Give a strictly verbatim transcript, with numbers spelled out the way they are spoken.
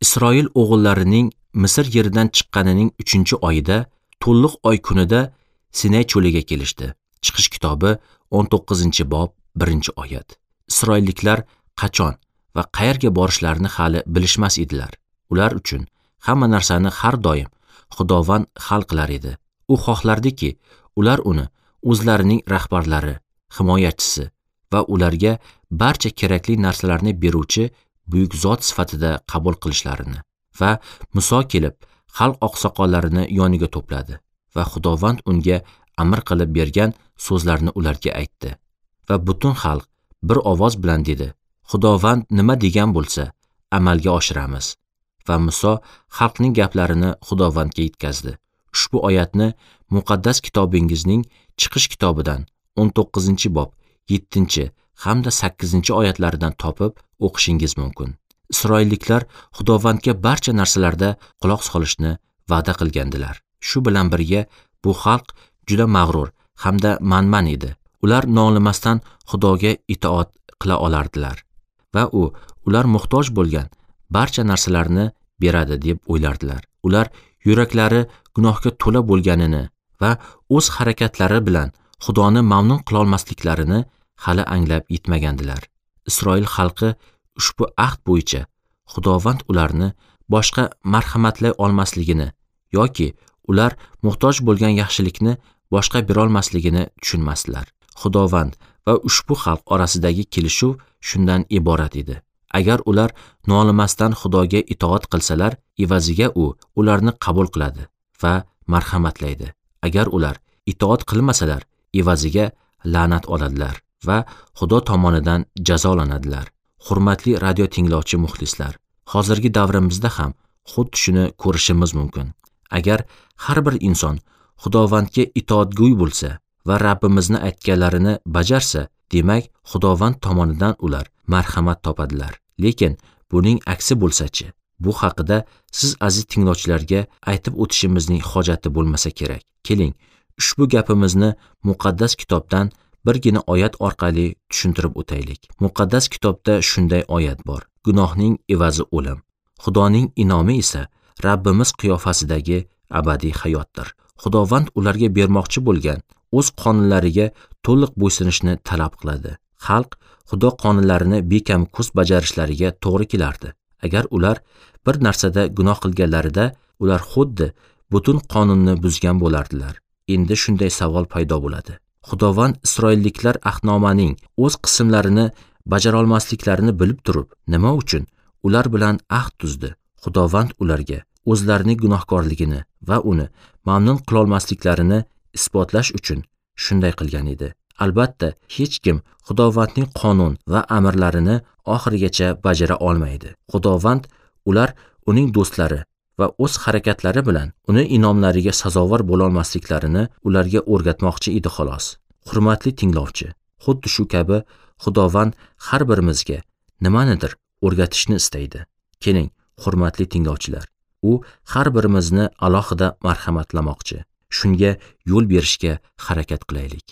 Isroil o'g'illarining Misr yeridan chiqqanining uchinchi oyida, to'liq oy kunida Sinay cho'liga kelishdi. Chiqish kitobi o'n to'qqizinchi bob birinchi oyat. Isroilliklar qachon va qayerga borishlarini hali bilishmas edilar. Ular uchun hamma narsani har doim Xudovand hal qilar edi. U xohlardiki, ular uni o'zlarining rahbarlari, himoyachisi va ularga barcha kerakli narsalarni beruvchi buyuk zot sifatida qabul qilishlarini. Va Muso kelib xalq oqsoqollarini yoniga to'pladi va Xudovand unga amr qilib bergan so'zlarni ularga aytdi. Va butun xalq bir ovoz bilan dedi: Xudovand nima degan bo'lsa, amalga oshiramiz. Va Muso xalqning gaplarini Xudovandga yetkazdi. Ushbu oyatni muqaddas kitobingizning Chiqish kitobidan o'n to'qqizinchi bob yettinchi hamda sakkizinchi oyatlaridan topib o'qishingiz mumkin. Isroilliklar Xudovandga barcha narsalarda quloq solishni va'da qilgandilar. Shu bilan birga bu xalq juda mag'rur hamda manman edi. Ular nolimasdan Xudoga itoat qila olardilar va u ular muhtoj bo'lgan barcha narsalarni beradi deb o'ylardilar. Ular yuraklari gunohga to'la bo'lganini va o'z harakatlari bilan Xudoni mamnun qilolmasliklarini hali anglab yetmagandilar. Isroil xalqi ushbu ahd bo'yicha Xudovand ularni boshqa marhamatlay olmasligini yoki ular muhtoj bo'lgan yaxshilikni boshqa berolmasligini tushunmasdilar. Xudovand va ushbu xalq orasidagi kelishuv shundan iborat edi. Agar ular nolimasdan Xudoga itoat qilsalar, evaziga u ularni qabul qiladi va marhamatlaydi. Agar ular itoat qilmasalar, evaziga la'nat oladilar va Xudo tomonidan jazolanadilar. Hurmatli radio tinglovchi muxlislar, hozirgi davrimizda ham xuddi shuni ko'rishimiz mumkin. Agar har bir inson Xudovandga itoatgo'y bo'lsa va Rabbimizni aytganlarini bajarsa, demak, Xudovand tomonidan ular marhamat topadilar. Lekin buning aksi bo'lsa-chi? Bu haqida siz aziz tinglovchilarga aytib o'tishimizning hojati bo'lmasa kerak. Keling, ushbu gapimizni muqaddas kitobdan birgina oyat orqali tushuntirib o'taylik. Muqaddas kitobda shunday oyat bor: gunohning evazi o'lim, Xudoning inomi esa Rabbimiz qiyofasidagi abadiy hayotdir. Xudovand ularga bermoqchi bo'lgan o'z qonunlariga to'liq bo'ysunishni talab qiladi. Xalq Xudo qonunlarini bekam ko'z bajarishlariga to'g'ri kelardi. Agar ular bir narsada gunoh qilganlarida, ular xuddi butun qonunni buzgan bo'lardilar. Endi shunday savol paydo bo'ladi. Xudovand Isroilliklar ahdnomaning o'z qismlarini bajara olmasliklarini bilib turib, nima uchun ular bilan ahd tuzdi? Xudovand ularga o'zlarining gunohkorligini va uni mamnun qilolmasliklarini isbotlash uchun shunday qilgan edi. Albatta, hech kim Xudovandning qonun va amrlarini oxirigacha bajara olmaydi. Xudovand ular uning do'stlari va o'z harakatlari bilan uni inomlariga sazovor bo'lolmasliklarini ularga o'rgatmoqchi edi xolos. Hurmatli tinglovchi, xuddi shu kabi Xudovand har birimizga nimanidir o'rgatishni istaydi. Keling, hurmatli tinglovchilar, u har birimizni alohida marhamatlamoqchi. Shunga yo'l berishga harakat qilaylik.